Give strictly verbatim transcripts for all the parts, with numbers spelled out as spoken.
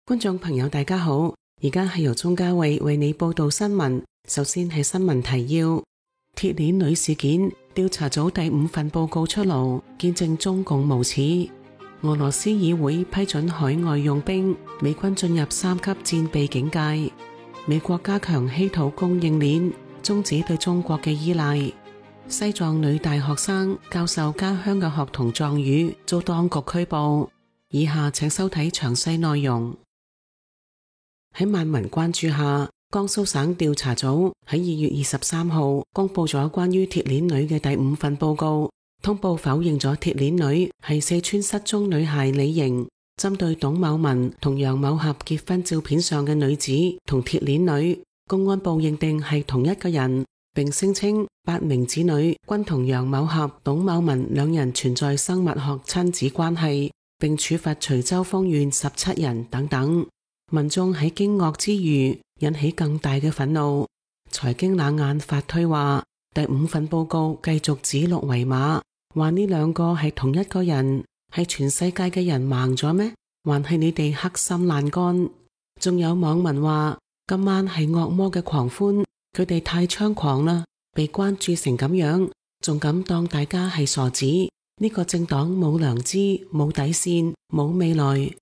觀眾朋友大家好，而家係由鍾嘉慧為你報道新聞。首先係新聞提要：鐵鏈女事件調查組第五份報告出爐，見證中共無恥。俄羅斯議會批准海外用兵，美軍進入三級戰備警戒。美國加強稀土供應鏈，終止對中國嘅依賴。西藏女大學生教授家鄉嘅學童藏語遭當局拘捕。以下請收睇詳細內容。喺萬民關注下，江蘇省調查組喺二月二十三號公布咗關於鐵鏈女嘅第五份報告，通報否認咗鐵鏈女係四川失蹤女孩李瑩。針對董某文同楊某俠結婚照片上嘅女子同鐵鏈女，公安部認定係同一個人，並聲稱八名子女均同楊某俠、董某文兩人存在生物學親子關係，並處罰徐州豐縣十七人等等。民眾喺驚愕之餘引起更大嘅憤怒。財經冷眼發推話，第五份報告繼續指鹿為馬，話呢兩個係同一個人，係全世界嘅人盲咗咩？還係你哋黑心爛乾？仲有網民話今晚係惡魔嘅狂歡，佢哋太猖狂啦，被關注成咁樣，仲敢當大家係傻子？呢個政黨冇良知、冇底線、冇未來。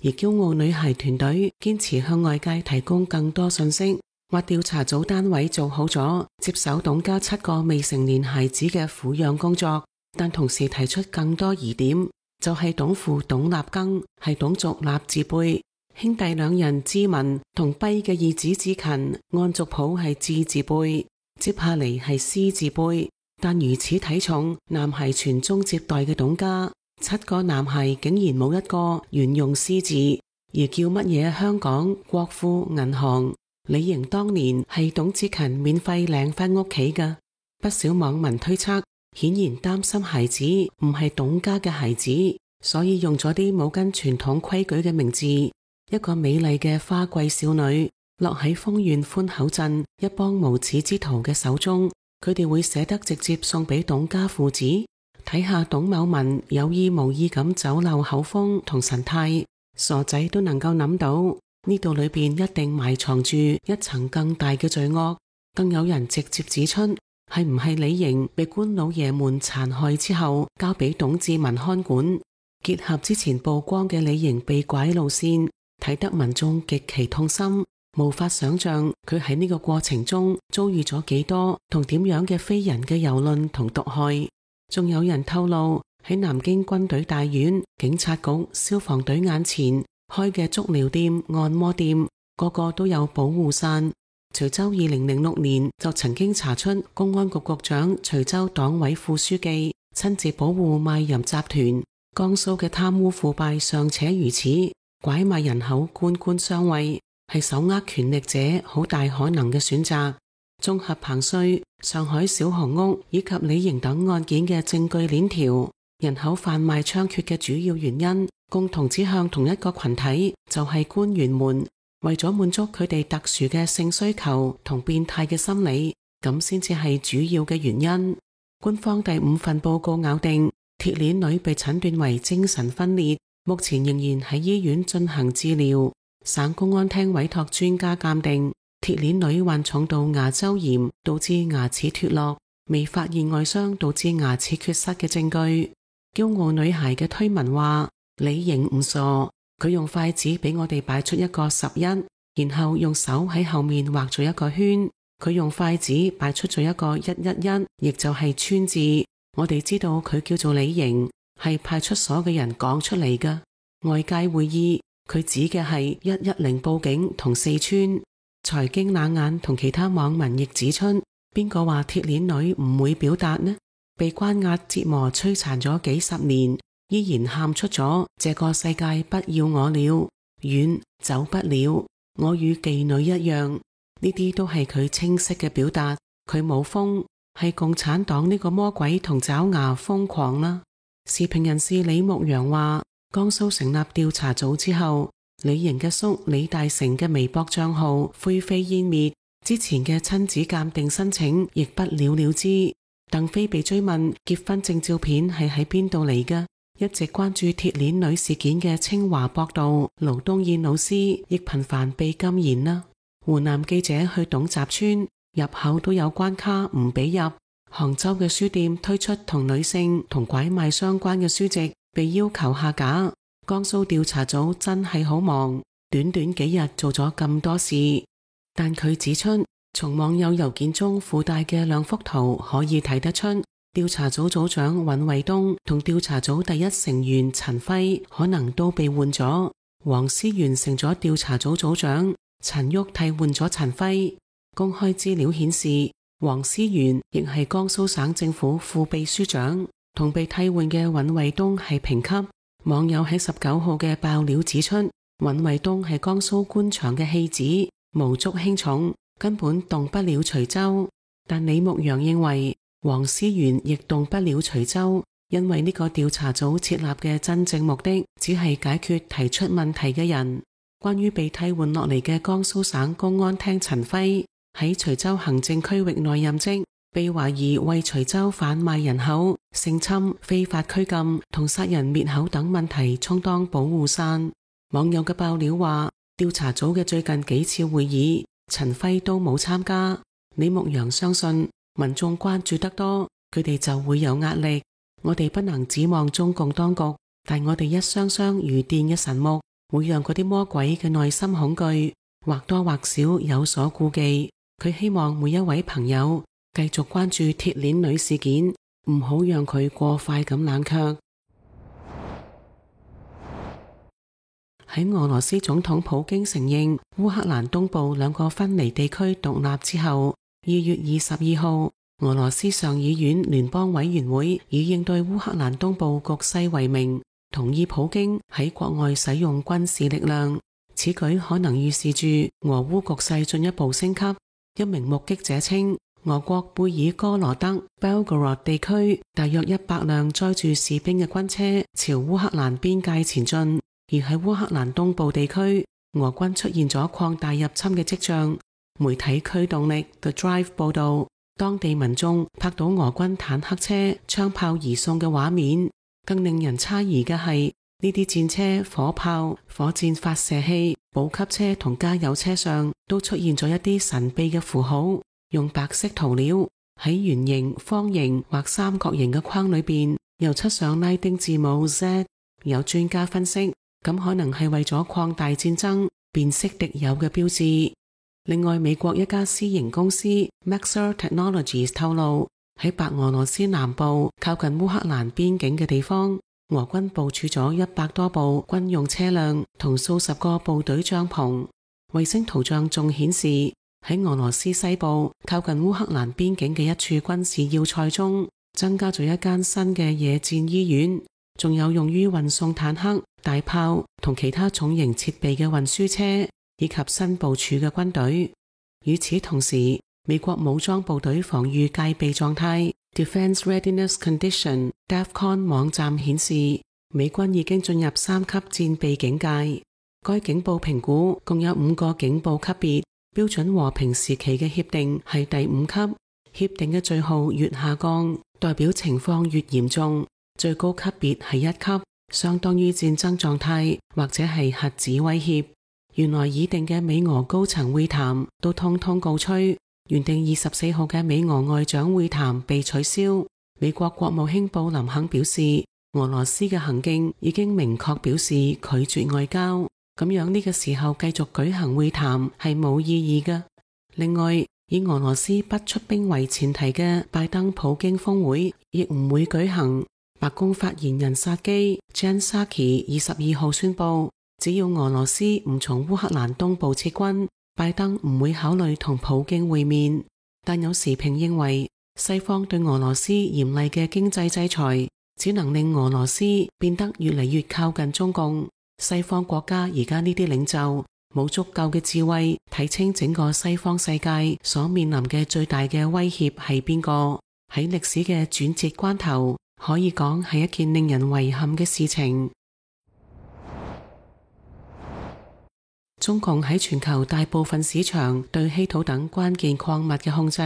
而驕傲女孩團隊堅持向外界提供更多信息，話調查組單位做好咗接手董家七個未成年孩子嘅撫養工作，但同時提出更多疑點，就係、是、董父董立庚係董族立字輩，兄弟兩人志文同跛嘅二子志勤按族譜係志字輩，接下嚟係師字輩，但如此體重男孩傳宗接代嘅董家，七個男孩竟然冇一個沿用師字，而叫乜嘢香港國富銀行。李瑩當年係董志勤免費領返屋企㗎。不少網民推測，顯然擔心孩子唔係董家嘅孩子，所以用咗啲冇跟傳統規矩嘅名字。一個美麗嘅花季少女落喺豐縣寬口鎮一幫無恥之徒嘅手中，佢哋會捨得直接送俾董家父子？睇下董某文有意無意咁走漏口風同神態，傻仔都能夠諗到呢度裏邊一定埋藏住一層更大嘅罪惡。更有人直接指出，係唔係李瑩被官老爺們殘害之後交俾董志文看管？結合之前曝光嘅李瑩被拐路線，睇得民眾極其痛心，無法想象佢喺呢個過程中遭遇咗幾多同點樣嘅非人嘅蹂躪同毒害。仲有人透露，喺南京軍隊大院、警察局、消防隊眼前開嘅足療店、按摩店，個個都有保護傘。徐州二零零六年就曾經查出公安局局長、徐州黨委副書記親自保護賣淫集團。江蘇嘅貪污腐敗尚且如此，拐賣人口官官相衛，係手握權力者好大可能嘅選擇。綜合彭帥、上海小紅屋以及李瑩等案件嘅證據鏈條，人口販賣猖獗嘅主要原因，共同指向同一個群體，就係官員們為咗滿足佢哋特殊嘅性需求同變態嘅心理，咁先至係主要嘅原因。官方第五份報告咬定，鐵鏈女被診斷為精神分裂，目前仍然喺醫院進行治療。省公安廳委託專家鑑定，鐵鏈女患重度牙周炎，導致牙齒脫落，未發現外傷導致牙齒缺失嘅證據。驕傲女孩嘅推文話，李瑩唔傻，佢用筷子俾我哋擺出一個十一，然後用手喺後面畫咗一個圈，佢用筷子擺出咗一個一一一，亦就係川字。我哋知道佢叫做李瑩，係派出所嘅人講出嚟㗎。外界會意，佢指嘅係一一零報警同四川。財經冷眼同其他網民亦指出，邊個話鐵鏈女唔會表達呢？被關押折磨摧殘咗幾十年，依然喊出咗這個世界不要我了，遠走不了，我與妓女一樣。呢啲都係佢清晰嘅表達，佢冇瘋，係共產黨呢個魔鬼同爪牙瘋狂啦。時評人士李牧陽話，江蘇成立調查組之後，李瑩嘅叔李大成嘅微博賬號灰飛煙滅，之前嘅親子鑑定申請亦不了了之。鄧飛被追問結婚證照片係喺邊度嚟㗎，一直關注鐵鏈女事件嘅清華博導盧東燕老師亦頻繁被禁言啦。湖南記者去董集村，入口都有關卡唔俾入。杭州嘅書店推出同女性同拐賣相關嘅書籍，被要求下架。江蘇調查組真係好忙，短短幾日做咗咁多事。但佢指出，從網友郵件中附帶嘅兩幅圖可以睇得出，調查組組長尹衛東同調查組第一成員陳輝可能都被換咗。黃思源成咗調查組組長，陳旭替換咗陳輝。公開資料顯示，黃思源亦係江蘇省政府副秘書長，同被替換嘅尹衛東係平級。網友喺十九號嘅爆料指出，尹衛東係江蘇官場嘅戲子，無足輕重，根本動不了徐州。但李牧陽認為黃思源亦動不了徐州，因為呢個調查組設立嘅真正目的只係解決提出問題嘅人。關於被替換落嚟嘅江蘇省公安廳陳輝，喺徐州行政區域內任職，被懷疑為徐州販賣人口、性侵、非法拘禁同殺人滅口等問題充當保護傘。網友嘅爆料話，調查組嘅最近幾次會議，陳輝都冇參加。李牧陽相信，民眾關注得多，佢哋就會有壓力。我哋不能指望中共當局，但我哋一雙雙如電嘅神目，會讓嗰啲魔鬼嘅內心恐懼或多或少有所顧忌。佢希望每一位朋友繼續關注鐵鏈女事件，唔好讓佢過快咁冷卻。喺俄羅斯總統普京承認烏克蘭東部兩個分離地區獨立之後，二月二十二號，俄羅斯上議院聯邦委員會以應對烏克蘭東部局勢為名，同意普京喺國外使用軍事力量。此舉可能預示住俄烏局勢進一步升級。一名目擊者稱，俄國貝爾哥羅德 Belgorod 地區大約一百輛載住士兵嘅軍車朝烏克蘭邊界前進，而喺烏克蘭東部地區，俄軍出現咗擴大入侵嘅跡象。媒體驅動力 The Drive 報道，當地民眾拍到俄軍坦克車槍炮移送嘅畫面。更令人詫異嘅係，呢啲戰車、火炮、火箭發射器、補給車同加油車上都出現咗一啲神秘嘅符號，用白色塗料喺圓形、方形或三角形嘅框裏邊又漆上拉丁字母 Z。 有專家分析，咁可能係為咗擴大戰爭、辨識敵友嘅標誌。另外，美國一家私營公司 Maxar Technologies 透露，喺白俄羅斯南部靠近烏克蘭邊境嘅地方，俄軍部署咗一百多部軍用車輛同數十個部隊帳篷。衛星圖像仲顯示，喺俄羅斯西部靠近烏克蘭邊境嘅一處軍事要塞中，增加咗一間新嘅野戰醫院，仲有用於運送坦克、大炮同其他重型設備嘅運輸車，以及新部署嘅軍隊。與此同時，美國武裝部隊防禦戒備狀態 Defense Readiness Condition DEFCON 網站顯示，美軍已經進入三級戰備警戒。該警報評估共有五個警報級別，標準和平時期嘅協定係第五級，協定嘅序號越下降，代表情況越嚴重。最高級別係一級，相當於戰爭狀態或者係核子威脅。原來已定嘅美俄高層會談都通通告吹，原定二十四號嘅美俄外長會談被取消。美國國務卿布林肯表示，俄羅斯嘅行徑已經明確表示拒絕外交，咁樣呢個時候繼續舉行會談係冇意義嘅。另外，以俄羅斯不出兵為前提嘅拜登普京峰會亦唔會舉行。白宮發言人薩基 Jen Psaki 二十二號宣布，只要俄羅斯唔從烏克蘭東部撤軍，拜登唔會考慮同普京會面。但有時評認為，西方對俄羅斯嚴厲嘅經濟制裁，只能令俄羅斯變得越嚟越靠近中共。西方國家而家呢啲領袖冇足夠嘅智慧睇清整個西方世界所面臨嘅最大嘅威脅係邊個。喺歷史嘅轉折關頭，可以講係一件令人遺憾嘅事情。中共喺全球大部分市場對稀土等關鍵礦物嘅控制，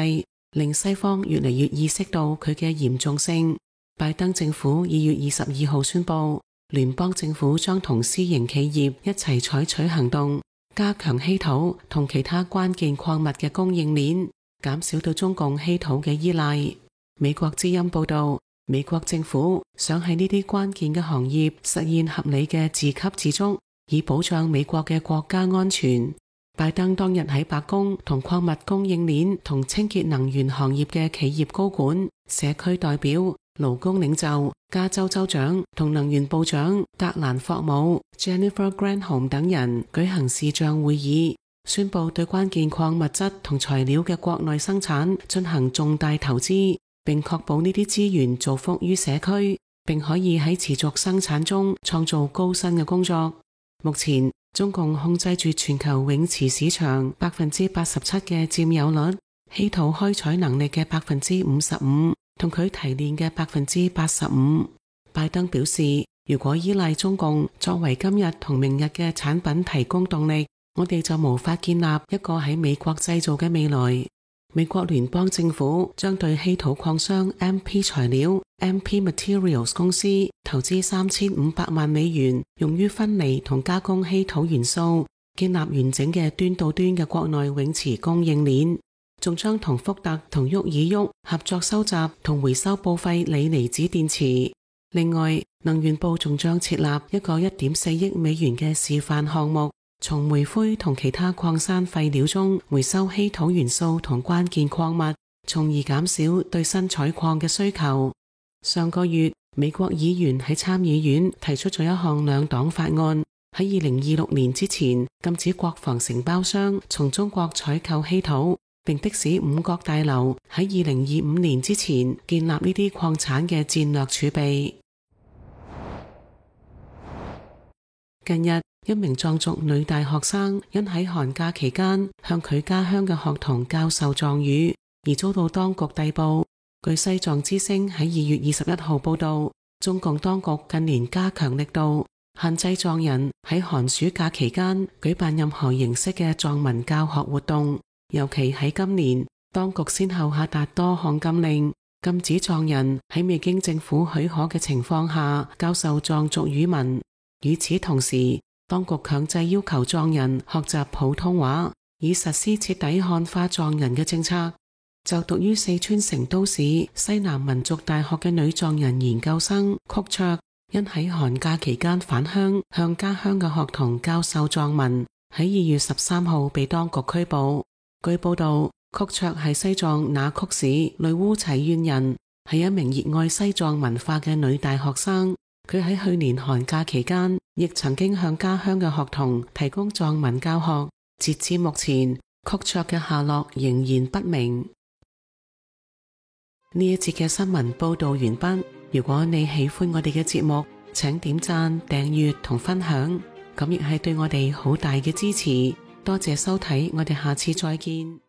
令西方越嚟越意識到佢嘅嚴重性。拜登政府二月二十二號宣布，聯邦政府將同私營企業一齊採取行動，加強稀土同其他關鍵礦物嘅供應鏈，減少對中共稀土嘅依賴。美國之音報道，美國政府想喺呢啲關鍵嘅行業實現合理嘅自給自足，以保障美國嘅國家安全。拜登當日喺白宮同礦物供應鏈同清潔能源行業嘅企業高管、社區代表、勞工領袖、加州州長同能源部長格蘭霍姆 Jennifer Granholm 等人舉行視像會議，宣布對關鍵礦物質同材料嘅國內生產進行重大投資，並確保呢啲資源造福於社區，並可以喺持續生產中創造高薪嘅工作。目前，中共控制住全球永磁市場百分之八十七嘅佔有率，稀土開採能力嘅百分之五十五，同佢提煉嘅百分之八十五。拜登表示，如果依賴中共作為今日同明日嘅產品提供動力，我哋就無法建立一個喺美國製造嘅未來。美國聯邦政府將對稀土礦商 M P 材料 M P Materials 公司投資三千五百萬美元，用於分離同加工稀土元素，建立完整嘅端到端嘅國內永磁供應鏈。仲將同福特同沃爾沃合作收集同回收報廢鋰離子電池。另外，能源部仲將設立一個一點四億美元嘅示範項目，從煤灰同其他礦山廢料中回收稀土元素同關鍵礦物，從而減少對新採礦嘅需求。上個月，美國議員喺參議院提出咗一項兩黨法案，喺二零二六年之前禁止國防承包商從中國採購稀土，並迫使五角大樓喺二零二五年之前建立呢啲礦產嘅戰略儲備。近日，一名藏族女大學生因喺寒假期間向佢家鄉嘅學童教授藏語，而遭到當局逮捕。據西藏之聲喺二月二十一號報道，中共當局近年加強力度，限制藏人喺寒暑假期間舉辦任何形式嘅藏文教學活動。尤其喺今年，當局先後下達多項禁令，禁止藏人喺未經政府許可嘅情況下教授藏族語文。與此同時，當局強制要求藏人學習普通話，以實施徹底漢化藏人嘅政策。就讀於四川成都市西南民族大學嘅女藏人研究生曲卓，因喺寒假期間返鄉向家鄉嘅學童教授藏文，喺二月十三號被當局拘捕。據報道，曲卓係西藏那曲市女烏齊縣人，係一名熱愛西藏文化嘅女大學生。佢喺去年寒假期間亦曾經向家鄉嘅學童提供藏文教學。截至目前，曲卓嘅下落仍然不明。呢一節嘅新聞報道完畢。如果你喜歡我哋嘅節目，請點讚、訂閱同分享，咁亦係對我哋好大嘅支持。多謝收睇，我哋下次再見。